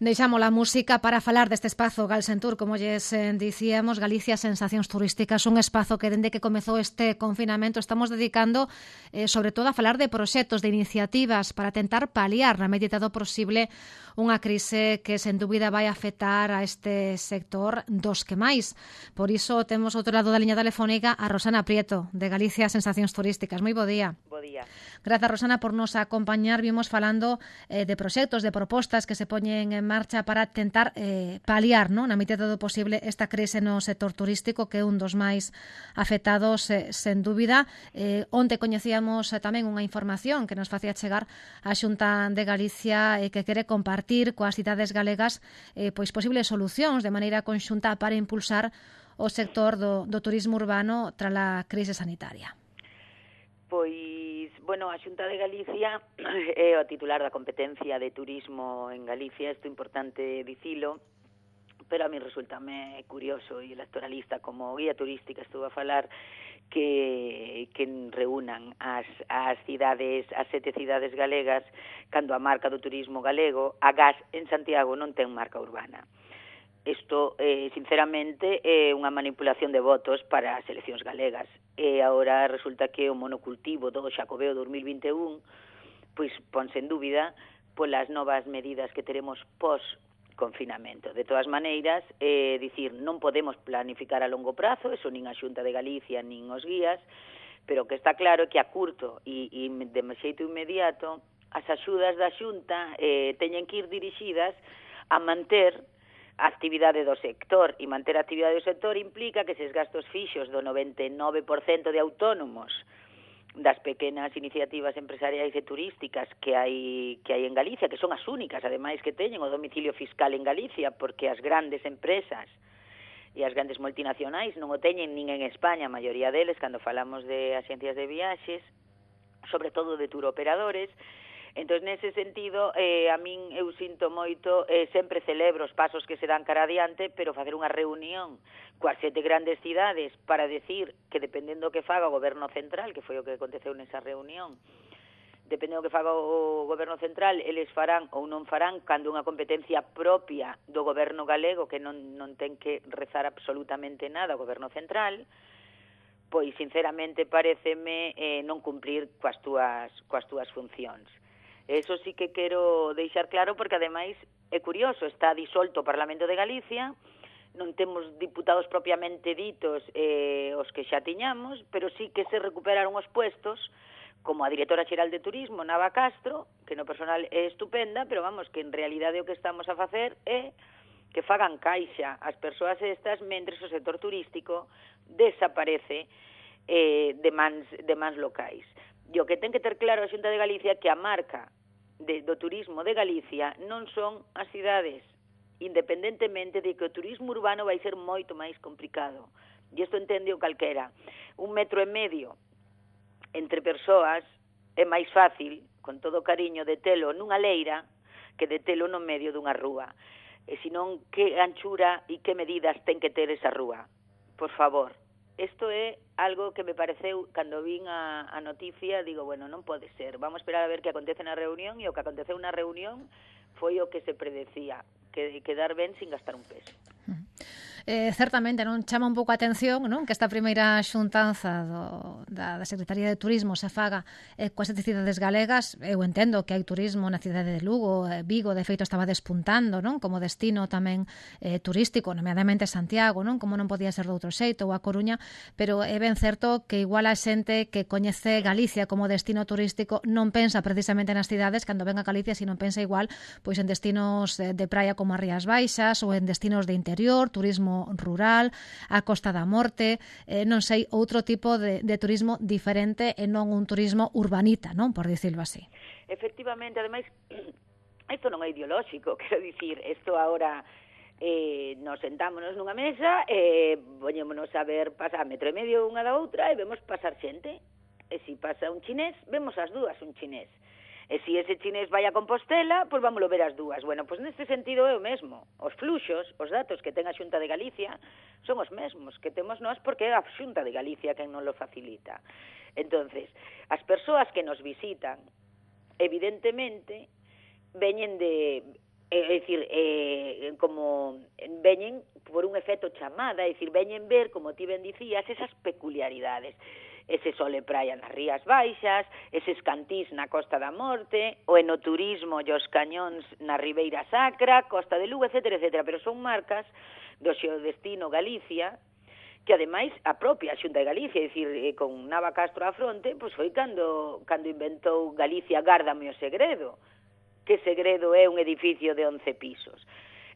Deixamos a música para falar deste espazo Galsentur, como lles dicíamos, Galicia Sensacións Turísticas, un espazo que dende que comezou este confinamento estamos dedicando sobre todo a falar de proxectos, de iniciativas para tentar paliar na medida do posible unha crise que sen dúbida vai afectar a este sector dos que máis. Por iso temos outro lado da liña telefónica a Rosana Prieto, de Galicia Sensacións Turísticas. Moi bo día. Bo día. Grazas, Rosana, por nos acompañar. Vimos falando de proxectos, de propostas que se poñen en marcha para tentar paliar, non, na medida do posible esta crise no sector turístico, que é un dos máis afectados, sen dúbida. Onte coñecíamos tamén unha información que nos facía chegar a Xunta de Galicia que quere compartir coas cidades galegas pois posibles solucións de maneira conxunta para impulsar o sector do turismo urbano tras a crise sanitaria. Pois, bueno, a Xunta de Galicia é o titular da competencia de turismo en Galicia, isto é importante dicilo, pero a mí resultame curioso e electoralista como guía turística estuvo a falar que reúnan as cidades, as 7 cidades galegas, cando a marca do turismo galego, a GAS en Santiago non ten marca urbana. Isto, sinceramente, é unha manipulación de votos para as eleccións galegas. E agora resulta que o monocultivo do Xacobeo 2021 pois ponse en dúbida polas novas medidas que teremos pós-confinamento. De todas maneiras, dicir, non podemos planificar a longo prazo, eso nin a Xunta de Galicia nin os guías, pero que está claro que a curto e de xeito inmediato as axudas da Xunta teñen que ir dirixidas a manter a actividade do sector, e manter a actividade do sector implica que eses gastos fixos do 99% de autónomos das pequenas iniciativas empresariais e turísticas que hai en Galicia, que son as únicas, ademais, que teñen o domicilio fiscal en Galicia, porque as grandes empresas e as grandes multinacionais non o teñen nin en España, a maioría deles, cando falamos de axencias de viaxes, sobre todo de turoperadores. Entón, nese sentido, a min eu sinto moito, sempre celebro os pasos que se dan cara adiante, pero facer unha reunión coas 7 grandes cidades para decir que dependendo do que faga o goberno central, que foi o que aconteceu nesa reunión, dependendo do que faga o goberno central, eles farán ou non farán cando unha competencia propia do goberno galego, que non ten que rezar absolutamente nada o goberno central, pois, sinceramente, pareceme non cumprir coas túas funcións. Eso sí que quero deixar claro, porque ademais é curioso, está disolto o Parlamento de Galicia, non temos diputados propiamente ditos os que xa tiñamos, pero sí que se recuperaron os puestos, como a directora xeral de Turismo, Nava Castro, que no personal é estupenda, pero vamos, que en realidade o que estamos a facer é que fagan caixa as persoas estas, mentres o sector turístico desaparece de mans locais. E o que ten que ter claro a Xunta de Galicia que a marca do turismo de Galicia non son as cidades, independentemente de que o turismo urbano vai ser moito máis complicado. E isto entende o calquera. 1,5 metros entre persoas é máis fácil, con todo o cariño, de telo nunha leira que de telo no medio dunha rúa. E senón, que anchura e que medidas ten que ter esa rúa? Por favor. Isto é algo que me pareceu, cando vin a noticia, digo, bueno, non pode ser. Vamos a esperar a ver que acontece na reunión, e o que aconteceu na reunión foi o que se predecía, que quedar ben sin gastar un peso. Certamente non chama un pouco a atención, non, que esta primeira xuntanza da Secretaría de Turismo se faga coas 7 cidades galegas. Eu entendo que hai turismo na cidade de Lugo, Vigo, de feito estaba despuntando, non, como destino tamén turístico, nomeadamente Santiago, non, como non podía ser de outro xeito, ou a Coruña, pero é ben certo que igual a xente que coñece Galicia como destino turístico non pensa precisamente nas cidades cando ven a Galicia, sino pensa igual pois en destinos de praia como as Rías Baixas, ou en destinos de interior, turismo rural, a Costa da Morte, non sei, outro tipo de turismo diferente e non un turismo urbanita, non, por dicirlo así. Efectivamente, ademais, isto non é ideolóxico, quero dicir, isto agora nos sentámonos nunha mesa e poñémonos a ver pasar 1,5 metros unha da outra e vemos pasar xente, e se pasa un chinés, vemos as dúas un chinés. E se ese chinés vai a Compostela, pois vámoslo ver as dúas. Bueno, pois neste sentido é o mesmo. Os fluxos, os datos que ten a Xunta de Galicia son os mesmos que temos nós, porque é a Xunta de Galicia quen non lo facilita. Entonces, as persoas que nos visitan, evidentemente, veñen é dicir, como veñen por un efecto chamada, é dicir, veñen ver, como ti ben dicías, esas peculiaridades, ese sol e praia nas Rías Baixas, eses cantís na Costa da Morte, o enoturismo e os cañóns na Ribeira Sacra, Costa de Lugo, etcétera, etcétera, pero son marcas do xeodestino Galicia, que ademais a propia Xunta de Galicia, é dicir, con Nava Castro á fronte, pois foi cando inventou Galicia Gárdame o segredo, que segredo é un edificio de 11 pisos.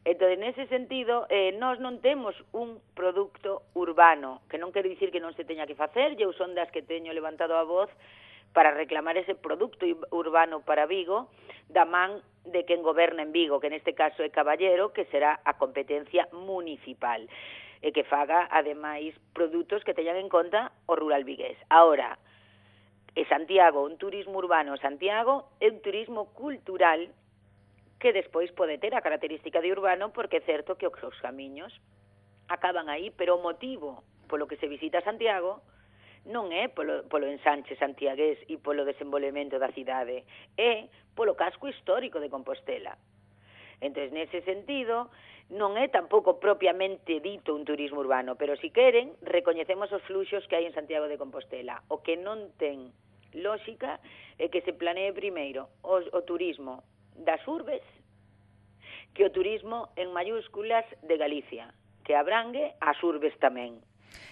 Entón, nese sentido, nós non temos un produto urbano, que non quero dicir que non se teña que facer, eu son das que teño levantado a voz para reclamar ese produto urbano para Vigo, da man de quen goberna en Vigo, que neste caso é Caballero, que será a competencia municipal, e que faga, ademais, produtos que teñan en conta o rural vigués. Ahora, Santiago, un turismo urbano, Santiago é un turismo cultural que despois pode ter a característica de urbano, porque é certo que os camiños acaban aí, pero o motivo polo que se visita Santiago non é polo ensanche santiagués e polo desenvolvemento da cidade, é polo casco histórico de Compostela. Entón, nese sentido, non é tampouco propiamente dito un turismo urbano, pero si queren, recoñecemos os fluxos que hai en Santiago de Compostela. O que non ten lógica é que se planee primeiro o turismo das urbes que o turismo en mayúsculas de Galicia, que abrangue as urbes tamén.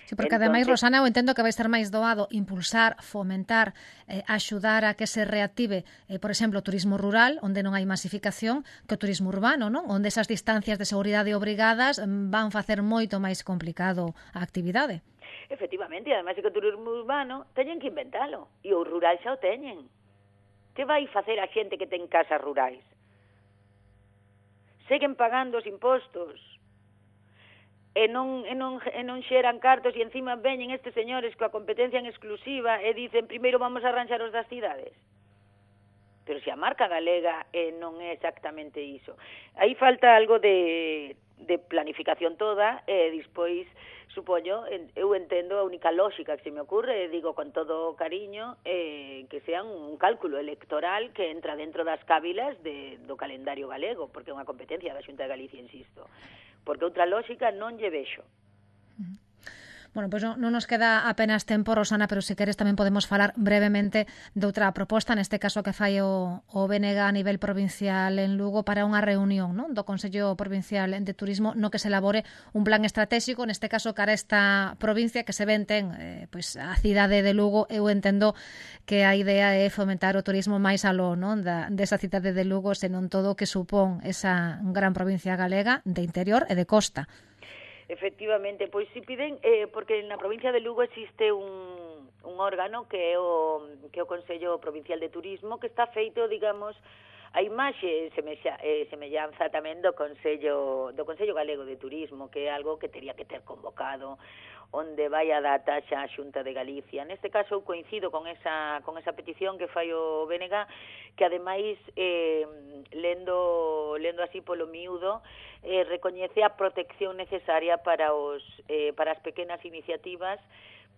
Sí, porque ademais, Rosana, eu entendo que vai ser máis doado impulsar, fomentar, axudar a que se reactive, por exemplo, o turismo rural, onde non hai masificación, que o turismo urbano, non? Onde esas distancias de seguridade obrigadas van facer moito máis complicado a actividade. Efectivamente, e ademais que o turismo urbano teñen que inventalo, e o rural xa o teñen. Que vai facer a xente que ten casas rurais? Seguen pagando os impostos, e non xeran cartos, e encima veñen estes señores coa competencia en exclusiva e dicen, primeiro vamos a arranxar os das cidades. Pero se a marca galega non é exactamente iso. Aí falta algo de planificación toda, e despois, supoño, eu entendo a única lógica que se me ocurre, digo con todo cariño, que sea un cálculo electoral que entra dentro das cávilas do calendario galego, porque é unha competencia da Xunta de Galicia, insisto. Porque outra lógica non lle vexo. Bueno, pois non nos queda apenas tempo, Rosana, pero se queres tamén podemos falar brevemente de outra proposta, neste caso que fai o BNG a nivel provincial en Lugo para unha reunión, non, do Consello Provincial de Turismo no que se elabore un plan estratégico, neste caso cara esta provincia que se ven ten pois a cidade de Lugo. Eu entendo que a idea é fomentar o turismo máis aló, non, desa cidade de Lugo, senón todo o que supón esa gran provincia galega de interior e de costa. Efectivamente, pois si piden, porque na provincia de Lugo existe un órgano que é o Consello Provincial de Turismo, que está feito, digamos, a imaxe semellanza tamén do Consello Galego de Turismo, que é algo que teria que ter convocado, onde vai a data xa a Xunta de Galicia. Neste caso eu coincido con esa petición que fai o BNG, que ademais lendo así polo miúdo, recoñece a protección necesaria para as pequenas iniciativas,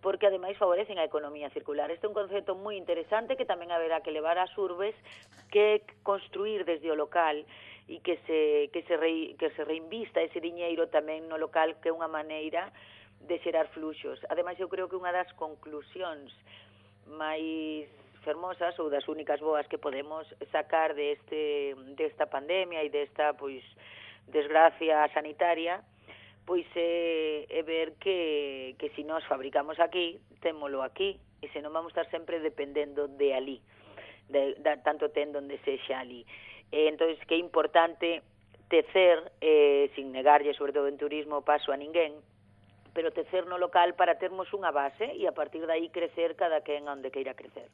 porque ademais favorecen a economía circular. Este é un concepto moi interesante que tamén haberá que levar ás urbes, que construir desde o local e que se reinvista ese diñeiro tamén no local, que é unha maneira de xerar fluxos. Ademais, eu creo que unha das conclusións máis fermosas ou das únicas boas que podemos sacar desta pandemia e desta desgracia sanitaria, pois é ver que se nós fabricamos aquí, témolo aquí, e se non vamos estar sempre dependendo de ali, tanto ten donde sexa ali. Entón, que é importante tecer, sin negarlle, sobre todo en turismo, paso a ninguén, pero tecer no local para termos unha base e a partir de aí crecer cada quen onde queira crecer.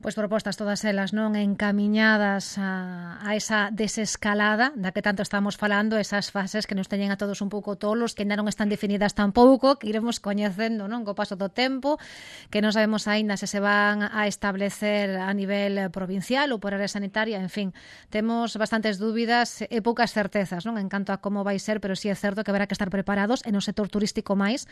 Pois propostas todas elas non encamiñadas a esa desescalada da que tanto estamos falando, esas fases que nos teñen a todos un pouco tolos, que ainda non están definidas tampouco, que iremos coñecendo, non, co paso do tempo, que non sabemos aínda se van a establecer a nivel provincial ou por área sanitaria, en fin, temos bastantes dúbidas e poucas certezas, non, en canto a como vai ser, pero sí é certo que haberá que estar preparados e no sector turístico máis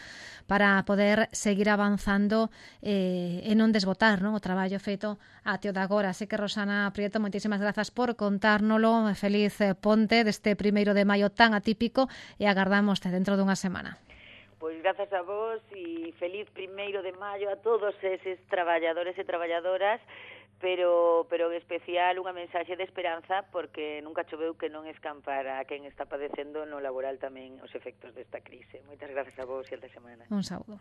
para poder seguir avanzando e non desbotar, non, o traballo feito até o de agora. Así que, Rosana Prieto, moitísimas grazas por contárnolo. Feliz ponte deste 1 de maio tan atípico e agardámoste dentro dunha semana. Pois grazas a vos e feliz 1 de maio a todos eses traballadores e traballadoras, pero en especial unha mensaxe de esperanza, porque nunca choveu que non escampara a quen está padecendo no laboral tamén os efectos desta crise. Moitas grazas a vos e ata semana. Un saúdo.